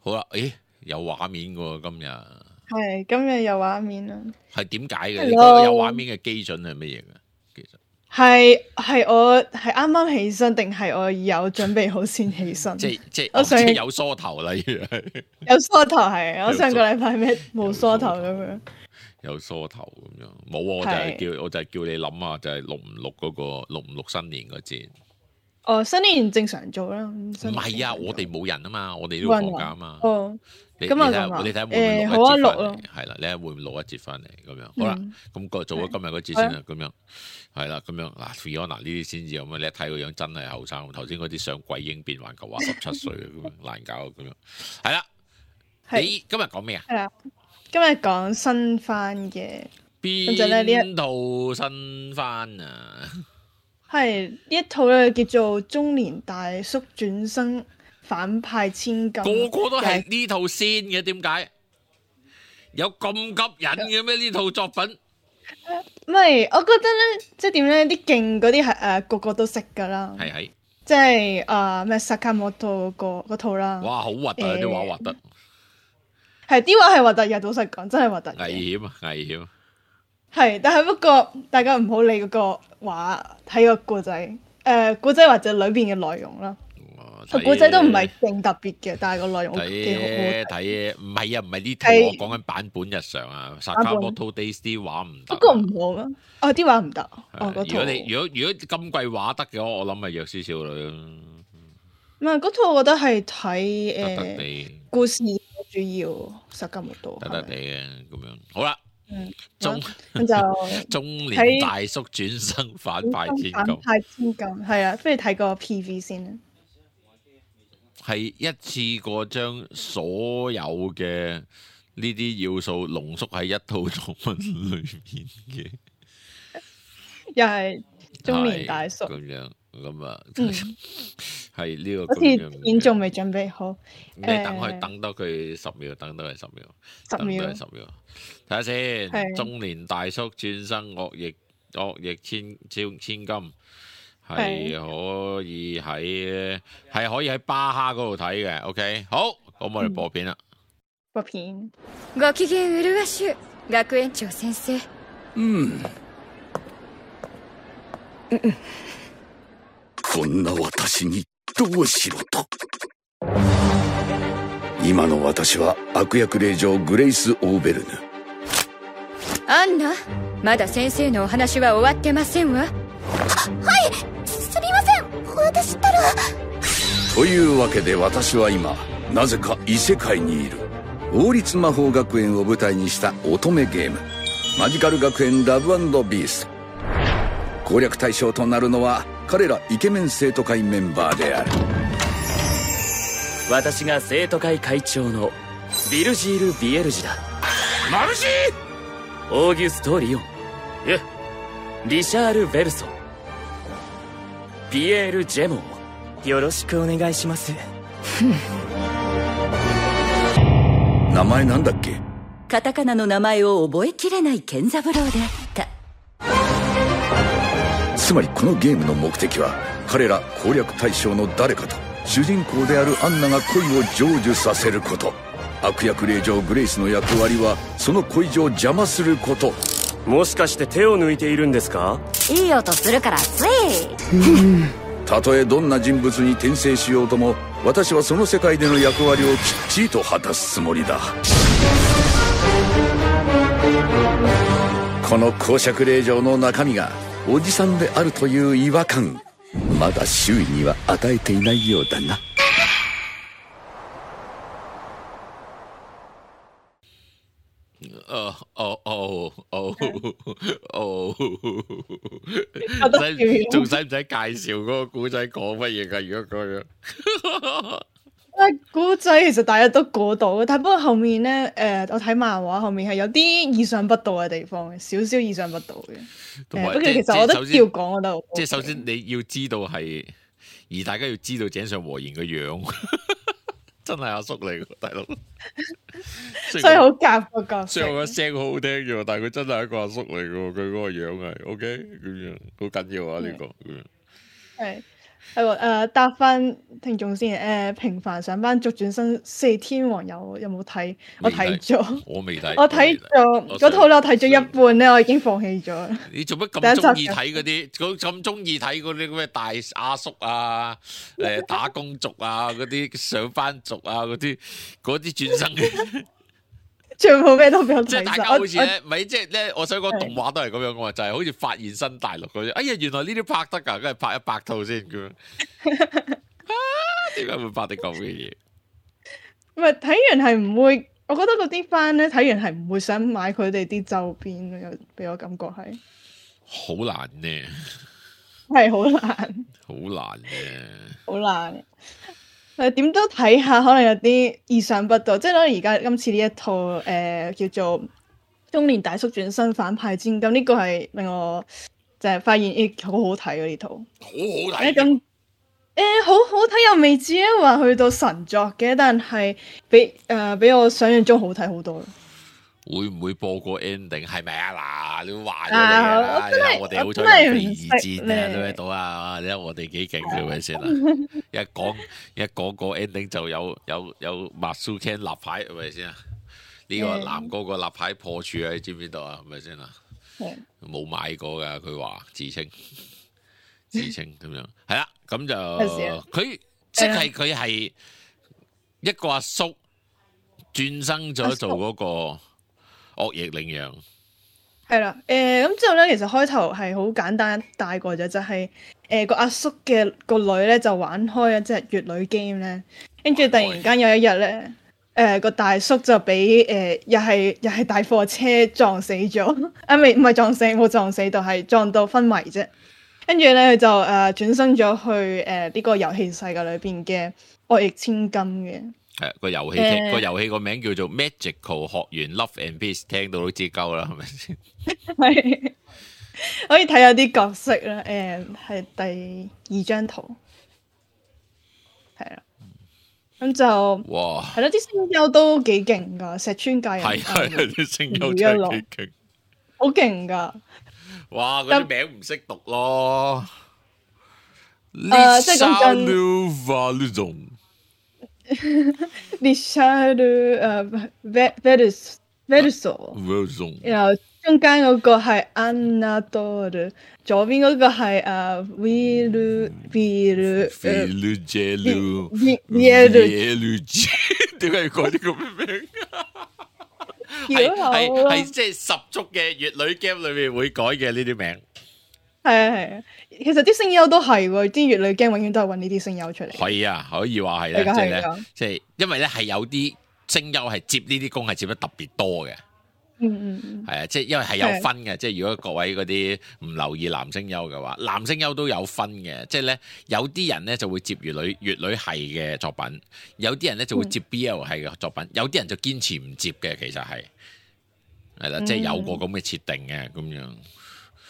好啦，有畫面喎今日。係今日有畫面啦。係點解嘅？你覺得有畫面嘅基準係乜嘢嘅？其實係我係啱啱起身，定係我有準備好先起身？即我想有梳頭啦，有梳頭係。我上個禮拜咩冇梳頭咁樣。有梳頭咁樣，冇我就係叫你諗下，就係錄唔錄嗰個錄唔錄新年嗰節？哦，新年正常做啦。唔係啊，我哋冇人啊嘛，我哋都要放假啊嘛。哦，你睇下會唔會錄一節翻嚟？係啦，你睇會唔會錄一節翻嚟咁樣？好啦，咁做咗今日嗰節先啦，咁樣係啦，咁樣嗱 Fiona 呢啲先至有咩？你一睇個樣真係後生，頭先嗰啲相鬼嬰變環球話17歲咁樣難搞咁樣。係啦，你今日講咩啊？係啦，今日講新番嘅。邊套新番啊？係呢一套咧叫做《中年大叔轉生反派千金》，個個都係呢套先嘅，點解有咁吸引嘅咩？呢套作品唔係，我覺得咧，即係點咧？啲勁嗰啲係個個都識噶啦，係即係咩Sakamoto嗰套啦。哇，好核突啊！啲畫核突，係啲畫係核突嘅，老實講真係核突。危險啊！危險。係，但係不過大家唔好理嗰個畫，睇個故仔，故仔或者裏邊嘅內容啦。個故仔都唔係勁特別嘅，但係個內容幾好睇。唔係啊，唔係呢套，我講緊版本日常啊。Sakamoto Days 啲畫唔得。不過唔好啊，啲畫唔得。如果今季畫得嘅話，我諗係弱少少女。唔係嗰套，我覺得係睇故事主要。Sakamoto 得地嘅咁樣。好啦。咁就中年大叔轉生反派千金，係啊，不如睇個 PV 先啦。係一次過將所有嘅呢啲要素濃縮喺一套作品裏面嘅，又係中年大叔咁樣咁啊，係呢個。好似片仲未準備好，你等多佢10秒，等多佢10秒，10秒，睇下先。中年大叔轉生惡逆千金，係可以喺巴哈嗰度睇嘅。OK， 好，咁我哋播片啦。播片。ご機嫌うるわしゅ学園長先生。こんな私にどうしろと。今の私は悪役令嬢グレイス・オーベルヌ。アンナ、まだ先生のお話は終わってませんわ。はい、すみません、私ったら。というわけで私は今なぜか異世界にいる。王立魔法学園を舞台にした乙女ゲームマジカル学園ラブ&ビースト。攻略対象となるのは彼らイケメン生徒会メンバーである。私が生徒会会長のビルジール・ビエルジだ。マルシオーギュスト・リオン、リシャール・ベルソン、ピエール・ジェモン、よろしくお願いします。名前なんだっけ？カタカナの名前を覚えきれない健三郎であった。つまりこのゲームの目的は彼ら攻略対象の誰かと主人公であるアンナが恋を成就させること。悪役令嬢グレイスの役割はその恋路を邪魔すること。もしかして手を抜いているんですか？いい音するからつい。たとえどんな人物に転生しようとも私はその世界での役割をきっちりと果たすつもりだ。この公爵令嬢の中身がおじさんであるという違和感、まだ周囲には与えていないようだな。仲使唔使介紹嗰個古仔講乜嘢噶？如果咁樣，古仔其實大家都估到嘅，但不過後面咧，我睇漫畫後面係有啲意想不到嘅地方嘅，少少意想不到嘅。不過其實我覺得要講我都即係首先你要知道係，而大家要知道井上和賢個樣。真係阿叔嚟㗎，大佬。所以好夾個角色。雖然我個聲好好聽啫，但係佢真係一個阿叔嚟㗎，佢嗰個樣係 OK 咁樣，好緊要啊呢個咁樣。係係喎，答翻聽眾先。平凡上班族轉身四天王有冇睇？我睇咗，我未睇。我睇咗嗰套咧，我睇咗一半咧，我已經放棄咗。你做乜咁中意睇嗰啲？咁中意睇嗰啲咩大阿叔啊、打工族啊、嗰啲上班族啊、嗰啲轉生嘅。全部咩都俾我睇。即係大家好似咧，咪即係咧，我想講動畫都係咁樣嘅嘛，就係好似發現新大陸嗰啲。哎呀，原來呢啲拍得㗎，梗係拍100套先咁樣。點解會拍啲咁嘅嘢？唔係睇完係唔會，我覺得嗰啲番咧睇完係唔會想買佢哋啲周邊嘅，俾我感覺係好難呢，係好難，好難嘅，好難。點都睇下，可能有啲意想不到，即係可能而家今次呢一套叫做《中年大叔轉身反派戰金》，呢個係令我就係發現好好睇呢套，好好睇。咁好好睇又未至於話去到神作嘅，但係比我想象中好睇好多。會唔會播個 ending 係咪啊？嗱，你話咗你啦，我哋好彩有第二戰啊，都喺度啊！你睇我哋幾勁係咪先啦？一講個 ending 就有 Masuken 立牌係咪先啊？呢個男嗰個立牌破處啊，你知唔知道啊？係咪先啊？冇買過㗎，佢話自稱咁樣，係啦，咁就佢即係佢係一個阿叔轉生咗做嗰個惡役領養，係啦，咁之後咧，其實開頭係好簡單帶過咗，就係個阿叔嘅個女咧就玩開一隻乙女 game 咧，跟住突然間有一日咧，個大叔就俾又係大貨車撞死咗，唔係撞死，冇撞死到，係撞到昏迷啫。跟住咧佢就轉生咗去呢個遊戲世界裏邊嘅惡役千金嘅。係個遊戲個名叫做 Magical 學園 Love and Peace， 聽到都知鳩啦，係咪先？係可以睇下啲角色啦，係第2張圖，係啦，咁就哇，係咯，啲聲優都幾勁噶，石川界人係啲聲優真係幾勁，好勁噶。哇，嗰啲名唔識讀咯，即係講緊。Richard Verso， 然後中間嗰個係 Anadolu， 左邊嗰個係Vielu， 點解要改啲咁嘅名？係即係十足嘅乙女 game 裏面會改嘅呢啲名。係啊，其實啲聲優都係喎，啲乙女 game 永遠都係揾呢啲聲優出嚟。係啊，可以話係咧，即係因為咧係有啲聲優係接呢啲工係接得特別多嘅。係啊，即係因為係有分嘅，即係如果各位嗰啲唔留意男聲優嘅話，男聲優都有分嘅，即係咧有啲人咧就會接乙女系嘅作品，有啲人咧就會接 BL 系嘅作品，有啲人就堅持唔接嘅，其實係啦，即係有個咁嘅設定嘅咁樣。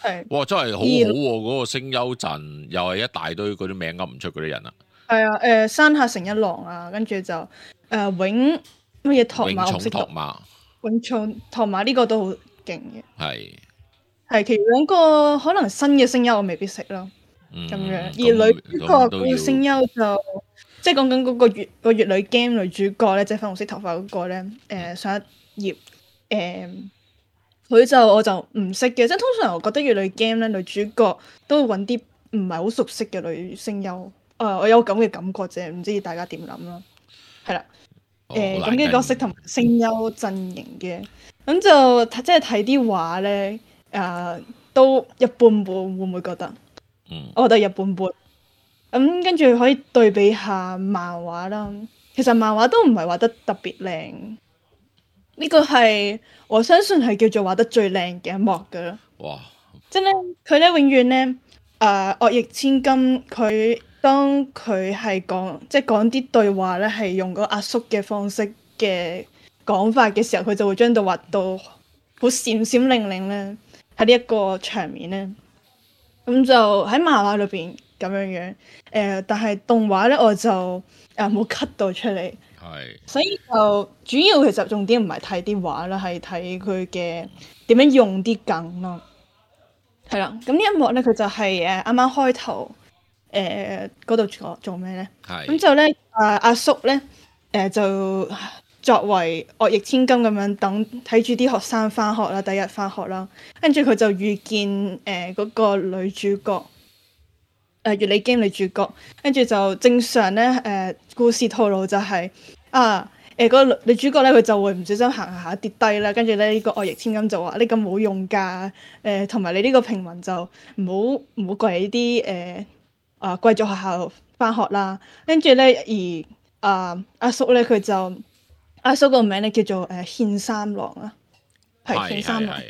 係，哇！真係好好喎，嗰個聲優陣又係一大堆嗰啲名噏唔出嗰啲人啊。係啊，山下誠一郎啊，跟住就永乜嘢拓馬，永重拓馬呢個都好勁嘅。係其餘兩個可能新嘅聲優我未必識咯。咁樣，而女主角個聲優就即係講緊嗰個乙女 game 女主角咧，即係粉紅色頭髮嗰個咧，上一頁我就唔識嘅，即係通常我覺得乙女 game 咧女主角都會揾啲唔係好熟悉嘅女聲優，我有咁嘅感覺啫，唔知大家點諗啦？係啦，咁嘅角色同聲優陣營嘅，咁就即係睇啲畫咧，都一般般，會唔會覺得？我覺得一般般。咁跟住可以對比下漫畫啦，其實漫畫都唔係畫得特別靚。呢個係我相信係叫做畫得最靚嘅一幕噶啦。哇！即係咧，佢咧永遠咧，惡役千金佢當佢係講啲對話咧，係用個阿叔嘅方式嘅講法嘅時候，佢就會將到畫到好閃閃靈靈咧。喺呢一個場面咧，咁就喺漫畫裏邊咁樣樣。但係動畫咧，我就冇 cut 到出嚟。所以就主要其實重點唔係睇啲畫啦，係睇佢嘅點樣用啲梗咯。係啦，咁呢一幕咧，佢就係啱啱開頭嗰度做咩咧？係咁就咧阿叔咧就作為惡役千金咁樣等睇住啲學生翻學啦，第一日翻學啦，跟住佢就遇見嗰個女主角月里經女主角，跟住就正常咧故事套路就係嗰個女主角咧佢就會唔小心行下跌低啦，跟住咧呢個惡役千金就話呢咁冇用㗎，同埋你呢個平民就唔好過嚟呢啲貴族學校翻學啦，跟住咧而阿叔咧佢就阿叔個名咧叫做憲三郎啦，係憲三郎，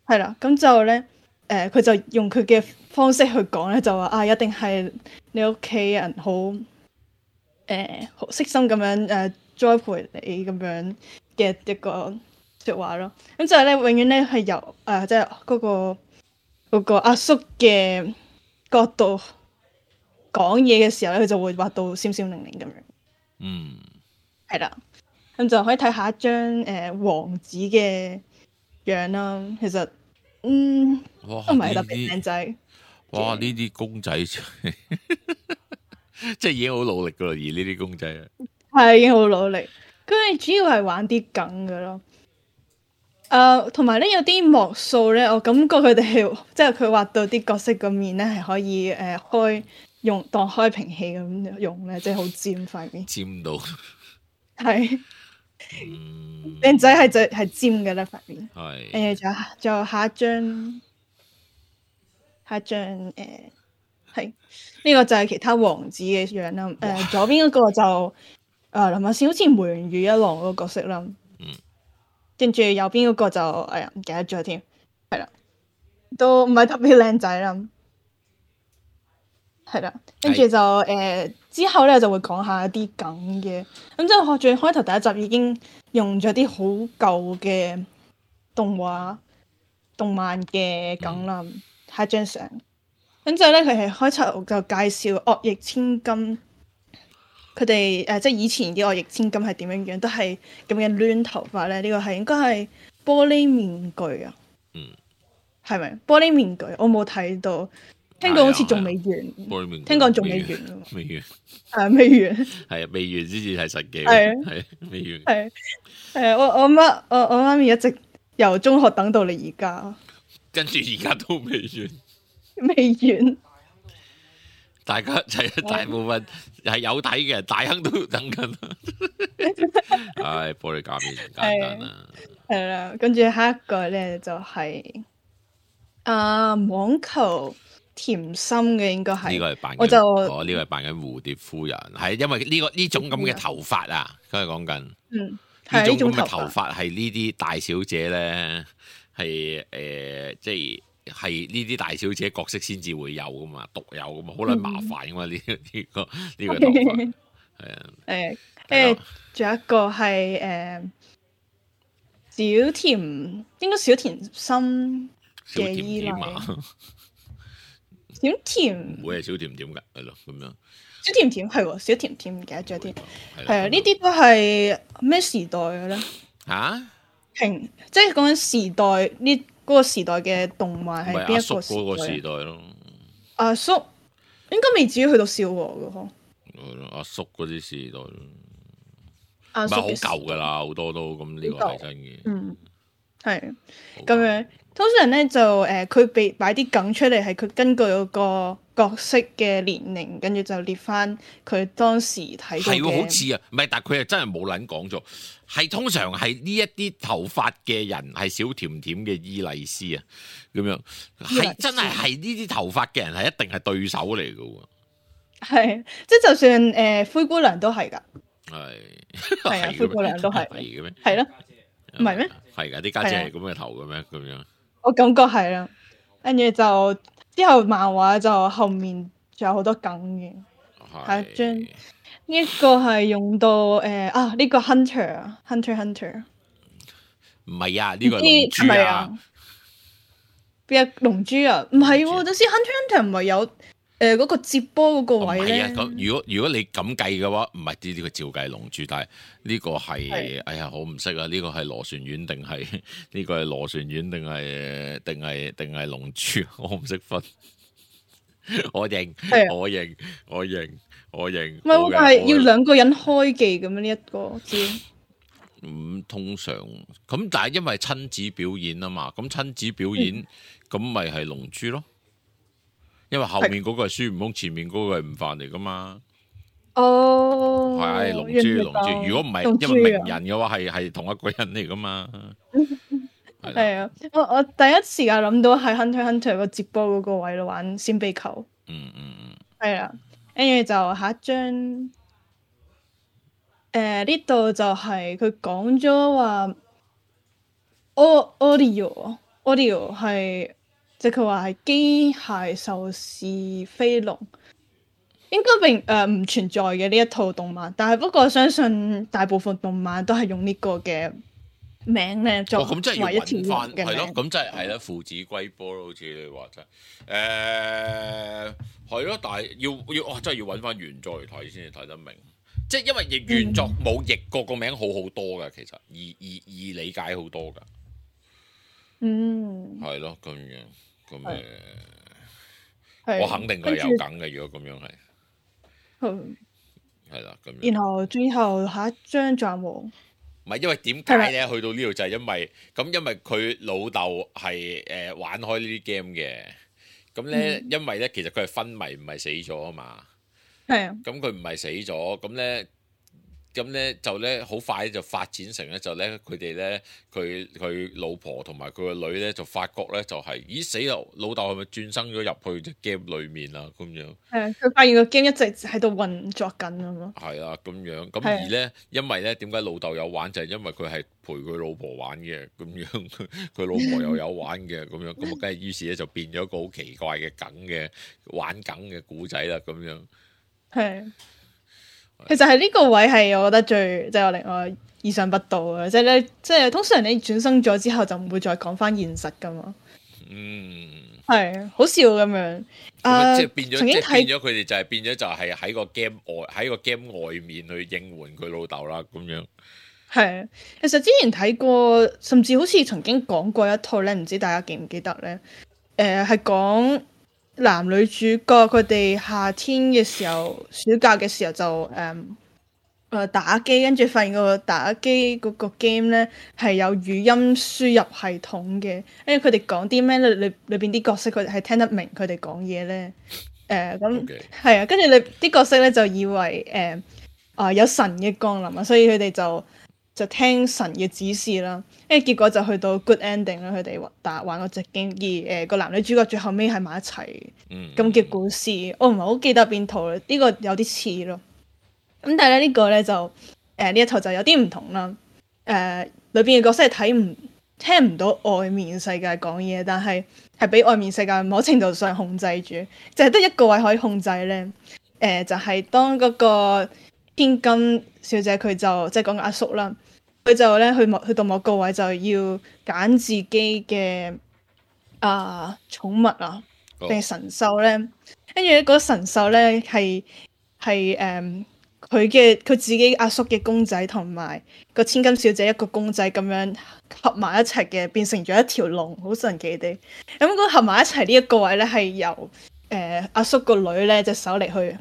係啦，咁就咧佢就用佢嘅方式去講咧，就話一定係你屋企人好好悉心咁樣栽培你咁樣嘅一個説話咯。咁就係咧，永遠咧係由即係嗰個阿叔嘅角度講嘢嘅時候咧，佢就會畫到閃閃靈靈咁樣。嗯，係啦。咁就可以睇下一張王子嘅樣啦。其實都唔係特別靚仔。哇！呢啲公仔即係已經好努力噶啦，而呢啲公仔係已經好努力。佢哋主要係玩啲梗噶咯。同埋咧有啲幕數咧，我感覺佢哋係即係佢畫到啲角色個面咧係可以當開瓶器咁用咧，即係好尖塊面。尖到係。靚仔係尖嘅咧塊面，係仲有下一張係呢個就係其他王子嘅樣啦。左邊嗰個就林默先好似梅原裕一郎嗰個角色啦，跟住右邊嗰個就唔記得咗添，係啦，都唔係特別靚仔啦，係啦，跟住就之後咧就會講下一啲梗嘅，咁即係最開頭第一集已經用咗啲好舊嘅動漫嘅梗啦，下一張相，咁之後咧佢係開頭就介紹惡役千金，佢哋即係以前啲惡役千金係點樣樣，都係咁嘅攣頭髮咧，呢個係應該係玻璃面具啊，係咪玻璃面具？我冇睇到。聽講好似仲未完，聽講仲未完㗎，未完，未完，係未完先至係實嘅，係未完，係我媽咪一直由中學等到你而家，跟住而家都未完，未完，大家大部分係有睇嘅，大亨都等緊，唉，玻璃假面唔簡單啦，係啦，跟住下一個咧就係網球。甜心嘅應該係，呢個係扮緊，呢個係扮緊蝴蝶夫人，係因為呢種咁嘅頭髮啊，佢係講緊，呢種咁嘅頭髮係呢啲大小姐咧，係即係呢啲大小姐角色先至會有噶嘛，獨有噶嘛，好撚麻煩噶嘛呢個頭髮，係啊，跟住仲有一個係小甜，應該小甜心嘅依賴。小甜唔會係小甜甜㗎，係咯咁樣。小甜甜係喎，小甜甜唔記得咗添。係啊，呢啲都係咩時代嘅咧？即係講緊時代呢嗰個時代嘅動漫係邊一個時代？嗰個時代咯。阿叔應該未至於去到少和嘅嗬。阿叔嗰啲時代咯，唔係好舊㗎啦，好多都咁呢個係真嘅。係咁樣。通常咧就佢被擺啲梗出嚟，係佢根據嗰個角色嘅年齡，跟住就列翻佢當時睇過嘅。係好似啊，唔係，但係佢係真係冇撚講咗。係通常係呢一啲頭髮嘅人係小甜甜嘅伊麗絲啊，咁樣係真係呢啲頭髮嘅人係一定係對手嚟嘅喎。係，即係就算灰姑娘都係㗎。係啊，灰姑娘都係。係嘅咩？係咯，唔係咩？係㗎，啲家姐係咁嘅頭嘅咩？咁樣。我感覺係啦，跟住就之後漫畫就後面仲有好多梗嘅，係一張呢一個係用到呢個 Hunter，唔係啊，呢個龍珠啊，邊個龍珠啊？唔係喎，就先 Hunter 唔係有嗰個接波嗰個位咧。係啊，如果你咁計嘅話，唔係呢個照計龍珠，但係呢個係哎呀，我唔識啊！呢個係螺旋丸定係呢個係螺旋丸定係龍珠？我唔識分。我認，我認。唔係，但係要兩個人開技咁樣呢一個招。通常咁，但係因為親子表演啊嘛，咁親子表演咁咪係龍珠咯，因為後面嗰個係孫悟空，前面嗰個係悟飯嚟噶嘛。哦，係龍珠。如果唔係，因為鳴人嘅話係同一個人嚟噶嘛。係啊，我第一時間諗到係 Hunter Hunter 個接波嗰個位度玩閃避球。係啊，跟住就下一張。呢度就係佢講咗話，audio 係即係佢話係機械獸是飛龍，應該並唔存在嘅呢一套動漫，但係不過相信大部分動漫都係用呢個嘅名咧作為一條龍嘅名。係咯，咁即係啦，父子歸波咯，好似你話齋。係咯，但係要真係要揾翻原作嚟睇先至睇得明。即係因為原作冇譯過個名好好多噶，其實易理解好多噶。係咯，咁我肯定佢有梗嘅。如果咁樣係啦，咁。然後最後下一張藏王，唔係因為點解咧？去到呢度就係因為佢老豆係玩開呢啲 game 嘅，咁咧因為咧其實佢係昏迷唔係死咗啊嘛。係啊，咁佢唔係死咗，咁咧就咧好快就發展成咧就咧佢哋咧佢老婆同埋佢個女咧就發覺咧就係咦死啦，老豆係咪轉生咗入去隻 game 裡面啊咁樣？係佢發現個 game 一直喺度運作緊啊嘛。係啊，咁樣咁而咧因為咧點解老豆有玩就係因為佢係陪佢老婆玩嘅咁樣，佢老婆又有玩嘅咁樣，咁啊梗係於是咧就變咗一個好奇怪嘅梗嘅玩梗嘅古仔啦咁樣。係，其實係呢個位係我覺得最即係我令我意想不到嘅，即係咧，即係通常你轉生咗之後就唔會再講翻現實噶嘛。係好笑咁樣。即係變咗，即係變咗佢哋就係變咗就係喺個 game 外面去應援佢老豆啦咁樣。係，其實之前睇過，甚至好似曾經講過一套咧，唔知大家記唔記得咧？係講。男女主角佢哋夏天嘅時候，暑假嘅時候就打機，跟住發現個打機嗰個 game 咧係有語音輸入系統嘅，跟住佢哋講啲咩咧，裏邊啲角色佢哋係聽得明佢哋講嘢咧，咁係啊，跟住你啲角色咧就以為有神嘅降臨啊，所以佢哋就聽神嘅指示啦，跟住結果就去到 good ending 啦，佢哋玩嗰隻 game，而個男女主角最後尾係埋一齊咁嘅故事，我唔係好記得邊套啦，呢個有啲似咯。咁但係咧呢個咧就呢一套就有啲唔同啦。裏邊嘅角色係聽唔到外面世界講嘢，但係俾外面世界某程度上控制住，就係得一個位可以控制咧。就係當嗰個天金小姐佢就即係講個阿叔啦，佢就咧去到某個位就要揀自己嘅寵物啊定係神獸咧，跟住咧嗰個神獸咧係佢自己阿叔嘅公仔同埋個千金小姐一個公仔咁樣合埋一齊嘅，變成咗一條龍，好神奇地。咁嗰合埋一齊呢一個位咧係由阿叔個女咧隻手嚟去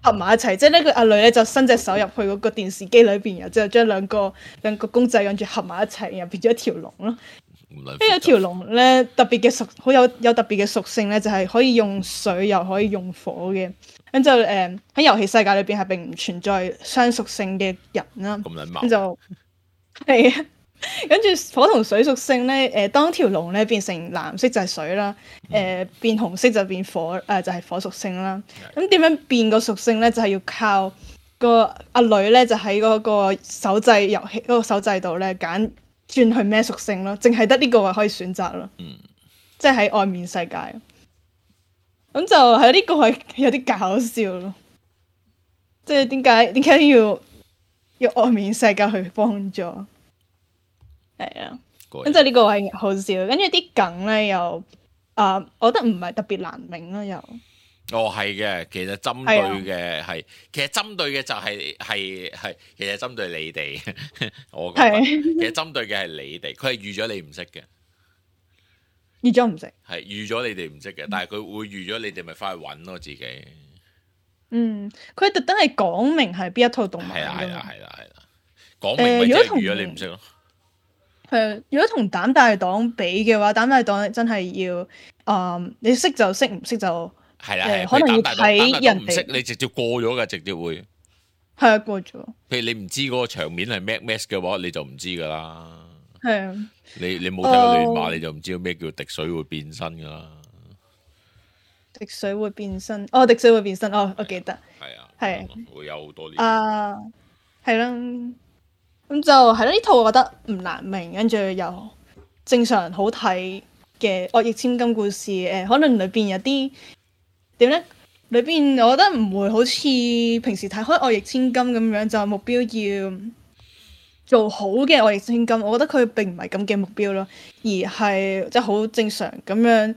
合埋一齊，即係呢個阿女咧就伸隻手入去嗰個電視機裏邊，然後之後將兩個公仔跟住合埋一齊，然後變咗一條龍咯。呢一條龍咧特別嘅好有特別嘅屬性咧，就係可以用水又可以用火嘅。咁就喺遊戲世界裏邊係並唔存在雙屬性嘅人啦。咁就係啊，跟住火同水屬性咧，當條龍咧變成藍色就係水啦，變紅色就變火，就係火屬性啦。咁點樣變個屬性咧？就係要靠個阿女咧，就喺嗰個手掣遊戲嗰個手掣度咧揀轉去咩屬性咯，淨係得呢個位可以選擇咯。即係喺外面世界。咁就喺呢個位有啲搞笑咯，即係點解要外面世界去幫助？係啊，咁就呢個位好笑，跟住啲梗咧又我覺得唔係特別難明咯，又係嘅，其實針對嘅係，其實針對嘅就係，其實針對你哋，我覺得其實針對嘅係你哋，佢係預咗你唔識嘅。預咗唔識，係預咗你哋唔識嘅，但係佢會預咗你哋咪翻去揾咯自己。佢特登係講明係邊一套動漫。係啦，講明咪即係預咗你唔識咯。如果同膽大黨比嘅話，膽大黨真係要你識就識，唔識就可能要睇人哋。唔識你直接過咗㗎，直接會係啊過咗。譬如你唔知嗰個場面係 Mad Max 嘅話，你就唔知㗎啦。係啊，你冇睇過亂馬，你就唔知道咩叫滴水會變身㗎啦。滴水會變身，滴水會變身，我記得。係啊，會有好多年。係啦，咁就係咯。呢套我覺得唔難明，跟住又正常好睇嘅惡役千金故事。可能裏邊有啲點咧？裏邊我覺得唔會好似平時睇開惡役千金咁樣，就目標要做好嘅惡役千金。我覺得佢並唔係咁嘅目標咯，而係即係好正常咁樣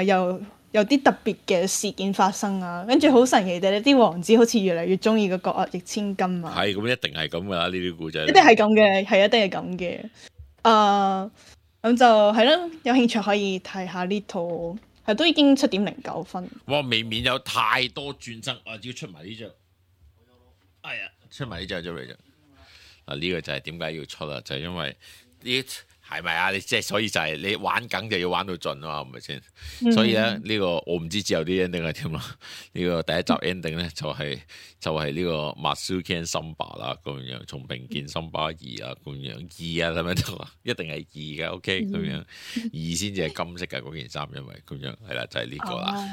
又有啲特別嘅事件發生啊，跟住好神奇嘅，啲王子好似越嚟越中意嗰個惡役千金啊。係咁，一定係咁噶啦，呢啲故仔。一定係咁嘅，係一定係咁嘅。咁就係咯，有興趣可以睇下呢套，係都已經7.09分。哇，未免有太多轉身啊！只要出埋呢張，哎呀，出埋呢張咗嚟啫。呢個就係點解要出啦？就係因為呢。係咪啊？你即係所以就係你玩梗就要玩到盡啊嘛，係咪先？所以咧呢個我唔知之後啲 ending 係點啦。呢個第一集 ending 咧就係呢個 Masuken Samba 啦，咁樣從並肩森巴2啊，咁樣2啊，係咪都一定係2嘅 ？OK，咁樣2先至係金色嘅嗰件衫，因為咁樣係啦，就係呢個啦，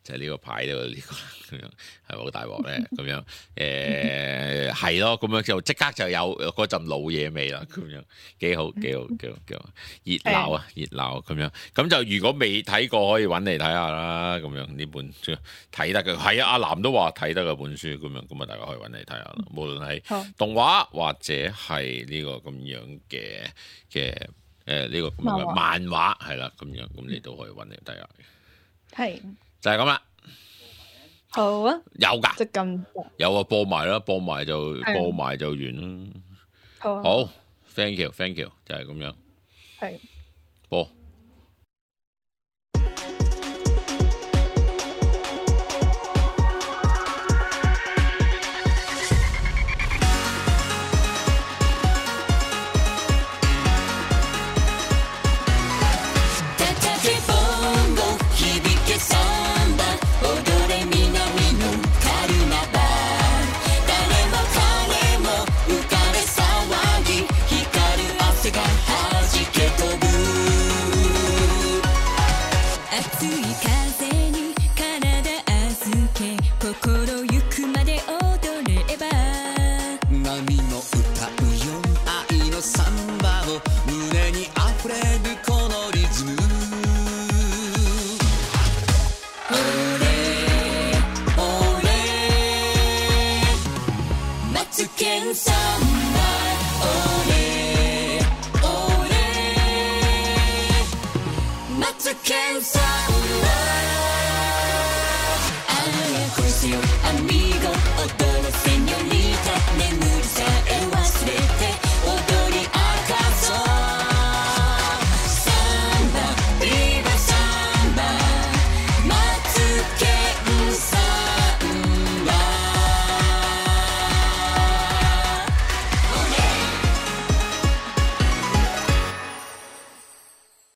就係呢個牌度呢個咁樣係咪好大鑊咧？咁樣係咯，咁樣就即刻就有嗰陣老嘢味啦，咁樣幾好。熱鬧啊，熱鬧咁樣，咁就如果未睇過可以揾嚟睇下啦，咁樣呢本書睇得嘅，係啊，阿南都話睇得嘅本書，咁樣咁啊，大家可以揾嚟睇下啦。無論係動畫或者係呢個咁樣嘅呢個咁樣嘅漫畫，係啦，咁樣咁你都可以揾嚟睇下。係就係咁啦。好啊，有㗎，即咁有啊，播埋啦，播埋就完啦。好。Thank you，就係咁樣。係。播。Matsukeng-san